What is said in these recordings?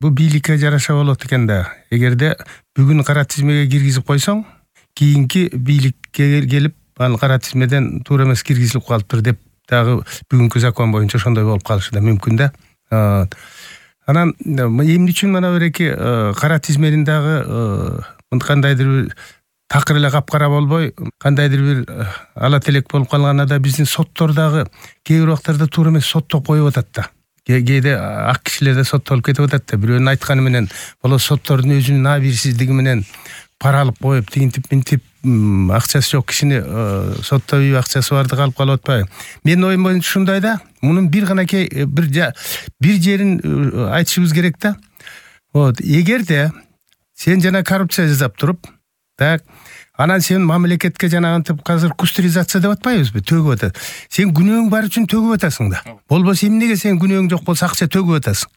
бул бийликке жараша болот экен да. Эгерде бүгүн кара тизмеге киргизип койсоң, кийинки бийликке келип, ал кара тизмеден туура эмес киргизилип калыптыр деп дагы бүгүнкү закон боюнча ошондой болуп калышы да мүмкүн да. Анан эмне үчүн мына береки кара тизменин дагы кандайдыр бир такыр эле капкара болбой, кандайдыр бир ала телек болуп калганда да биздин соттор дагы кээ бир убактарда туура эмес соттоп коюп атат да. Кээде ак кишилер да соттолуп кетип атат да. Бирөөнүн айтканы менен боло соттордун өзүнүн абийирсиздиги менен пара алып коюп, тигинтип минтип акчасы жок кишини соттойбуй, акчасы бардыгы алып калып атпайбы? Менин оюм боюнча ушундай да. Мунун бир ганакей бир жерин айтышыбыз керек да. Вот, эгерде сен жана коррупция жасап туруп, так, анан сен мамлекетке жанагынтип азыр кустуризация деп атпайбызбы? Төгүп атат. Сен күнөөң бар үчүн төгүп атасың да. Болбосо эмнеге сен күнөөң жок болсо акча төгүп атасың?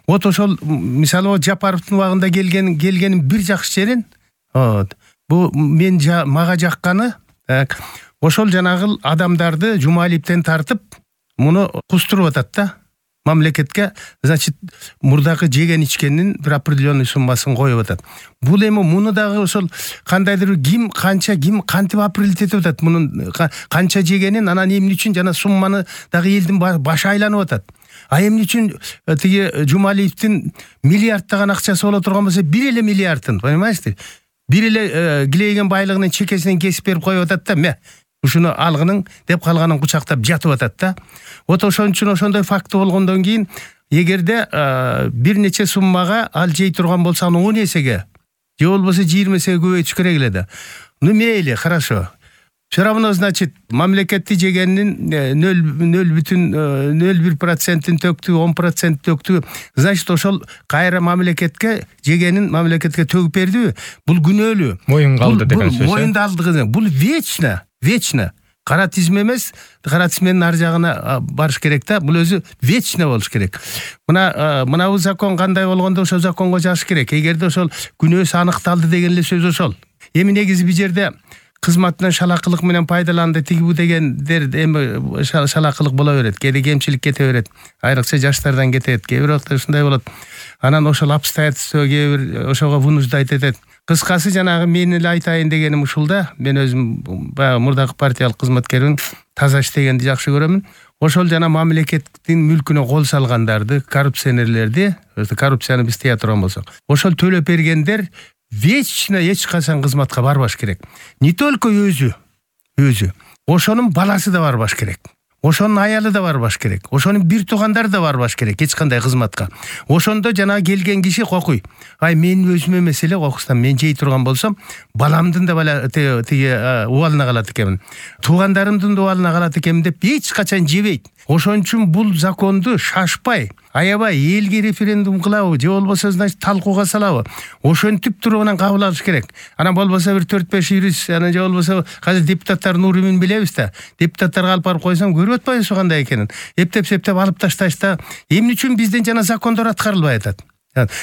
Вот ошол мисалы Жапаровдун убагында келгенин бир жакшы жерин, вот, бу мен мага жакканы, так, ошол жанагы адамдарды Жумалиевден тартып, муну кустуруп атат да. Мамлекетке, значит, мурдагы жеген ичкенин бир определенный суммасын коюп атат. Бул эми муну дагы ошол кандайдыр ким кантип определить этип атат, мунун канча жегенин, анан эмне үчүн жана сумманы дагы элдин башы айланып атат. А эмне үчүн тиги Жумалиевдин миллиардтаган акчасы боло турган болсо, бир эле миллиардын, понимаете? Бир эле килейген байлыгынын чекесинен кесип берип коюп атат да, ме ушуну алгының деп калганын кучактап жатып атат да. Вот ошон үчүн ошондой факты болгондон кийин, эгерде бир нече суммага ал жей турган болсо, аны 10 эсеге, же болбосо 20 эсеге көбөйтүш керек эле да. Ну мейли, хорошо. Все равно, значит, мамлекетти жегенин 0,01%-ин төктү, 10% төктү. Значит, ошол кайра мамлекетке жегенин мамлекетке төгүп бердиби? Бул күнөөлүү. Моюнга алды деген сөз. Моюнда алды. Бул вечно. Кара тизме эмес, кара тизменин ар жагына барыш керек да. Бул өзү вечно болуш керек. Мына бул закон кандай болгондо ошол законго жазыш керек. Эгерде ошол күнөөсү аныкталды деген эле сөз ошол. Эми негизи бул жерде кызматынан шалакылык менен пайдаланды тигибу дегендер эми шалакылык боло берет. Кээде кемчилик кете берет. Айрыкча жаштардан кетет. Кээ бир убакта ушундай болот. Анан ошол обстоятельство кээ бир ошого вынуждать этет. Кыскасы жанагы мен эле айтайын дегеним ушул да. Мен өзүм баягы мурдагы партиялык кызматкермин. Таза иштегенди жакшы көрөмүн. Ошол жана мамлекеттин мүлкүнө кол салгандарды, коррупционерлерди, коррупцияны биз тыя турган болсок, ошол төлөп бергендер вечно эч качан кызматка барбаш керек. Не только өзү, ошонун баласы да барбаш керек. Ошонун аялы да барбаш керек. Ошонун бир туугандары да барбаш керек эч кандай кызматка. Ошондо жана келген киши кокуй. Ай мен өзүм эмес эле кокустан мен жей турган болсом, баламдын да тиги убалына калат экенмин. Туугандарымдын да убалына калат экенмин деп эч качан жебейт. Ошон үчүн бул законду шашпай, аябай элге референдум кылабы, же болбосо значит талкууга салабы. Ошентип туруп анан кабыл алыш керек. Анан болбосо бир 4-5 юрист, анан же болбосо азыр депутаттардын уримин билебиз да. Депутаттарга алып барып койсоң көрүп атпайбыз кандай экенин. Эптеп алып ташташта эмне үчүн бизден жана закондор аткарылбай атат?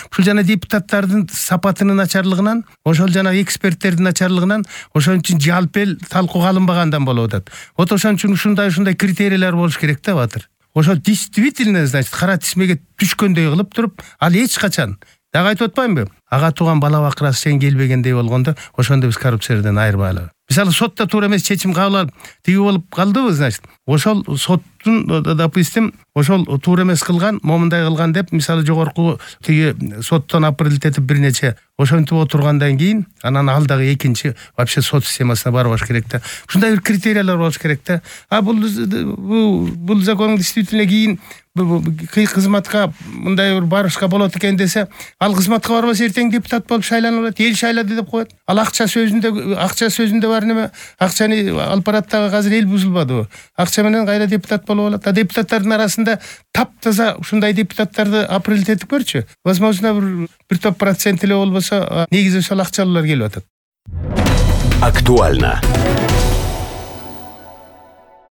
Ушул жана депутаттардын сапатынын начарлыгынан, ошол жана эксперттердин начарлыгынан, ошон үчүн жалпы эл талкууга алынбагандан болуп атат. Вот ошон үчүн ушундай критерийлер болуш керек да батыр. Ошо действительно, значит, кара тизмеге түшкөндөй кылып туруп, ал эч качан дагы айтып атпаймынбы? Ага тууган бала бакырасы сен келбегендей болгондо, ошондо биз коррупцияден айырбайлы. Мисалы сотто туура эмес чечим кабыл алып, тиги болуп калдыбы, значит, ошол соттун, допустим, ошол туура эмес кылган, момундай кылган деп, мисалы жогорку тиги соттон определить этип бир нече ошентип отургандан кийин, анан ал дагы экинчи вообще сот системасына барбаш керек да. Ушундай бир критериялар болуш керек да. А бул закон действительно кийин кызматка мындай бир барышка болот экен десе, ал кызматка барбаса эртең депутат болуп шайланып алат, эл шайлады деп коет. Ал акча сөзүндө бар неме? Акчаны алып бараттагы азыр эл бузулбадыбы? Акча менен кайра депутат болуп алат. А депутаттардын арасында таптаза ушундай депутаттарды определить этип көрчү. Возможно, бир топ процент эле болбосо, негизи ошол акчалуулар келип атат. Актуально.